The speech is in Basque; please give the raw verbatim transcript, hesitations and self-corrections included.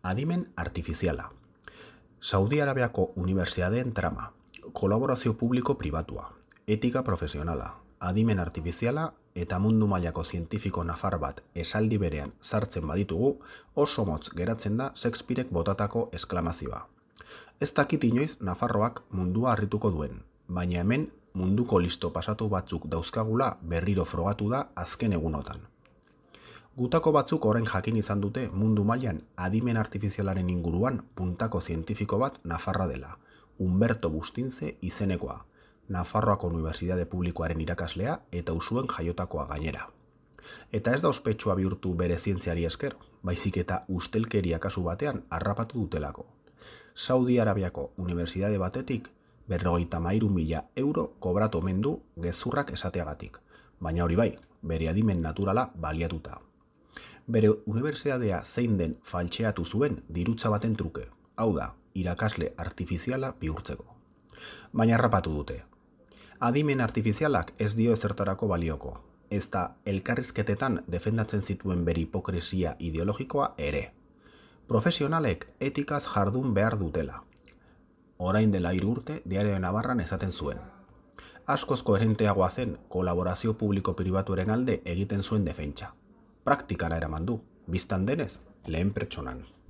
Adimen artifiziala. Saudi Arabiako unibertsiadeen trama, kolaborazio publiko-pribatua, etika profesionala, adimen artifiziala eta mundu mailako zientifiko nafar bat esaldi berean sartzen baditugu, oso motz geratzen da Shakespearek botatako esklamazioa. Ez dakit inoiz Nafarroak mundua harrituko duen, baina hemen munduko listo pasatu batzuk dauzkagula berriro frogatu da azken egunotan. Gutako batzuk orain jakin izan dute mundu mailan adimen artifizialaren inguruan puntako zientifiko bat Nafarra dela, Humberto Bustinze izenekoa, Nafarroako Unibertsitate Publikoaren irakaslea eta Usuen jaiotakoa gainera. Eta ez da ospetsua bihurtu bere zientziari esker, baizik eta ustelkeria kasu batean harrapatu dutelako. Saudi Arabiako unibertsitate batetik berrogeita hamairu mila euro kobratu omen du gezurrak esateagatik, baina hori bai, bere adimen naturala baliatuta. Bere unibertsitatea zein den faltxeatu zuen dirutza baten truke, hau da, irakasle artifiziala bihurtzeko. Baina harrapatu dute. Adimen artifizialak ez dio ezertarako balioko, ez da elkarrizketetan defendatzen zituen bere hipokresia ideologikoa ere. Profesionalek etikaz jardun behar dutela. Orain dela hiru urte Diario de Navarran esaten zuen. Askoz koherenteagoa zen kolaborazio publiko-pribatuaren alde egiten zuen defentsa. Praktikara eraman du, bistan denez, lehen pertsonan.